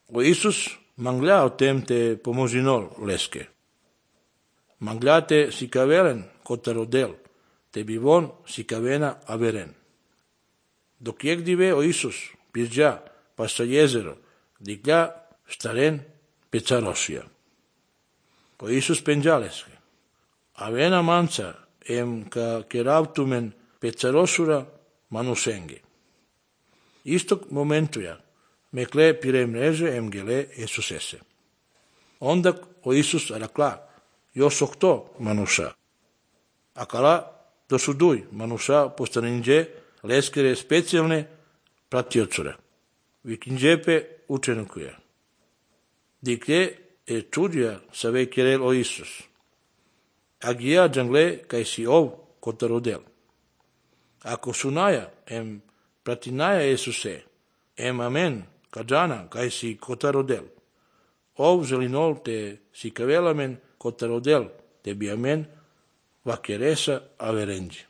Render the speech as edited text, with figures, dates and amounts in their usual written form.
O Isus manglia o tem te pomozinol leske. Manglia te si kavelen kotarodel, te bivon si kavena averen. Dok jegdive o Isus pirđa pa sa jezero, diglja staren pecarosija. O Isus penđaleske. Avena manca em ka keravtumen pecarosura manusenge. Istog momentuja mekle pire mreže em gele Jesusese. Onda o Isus arakla josokto manuša. Akala dosuduj manuša postaninđe leskere specijalne pratiocure. Vikinđepe učenukuje. Diklje čudja sa vej kerel o Isus. Agija džangle kaj si ov kotarodel. Ako sunaja em pratinaja Jesuse, em amen kadžana kaj si kotarodel. Ov želinol te si kavelamen kotarodel, te bi amen vakeresa averenđi.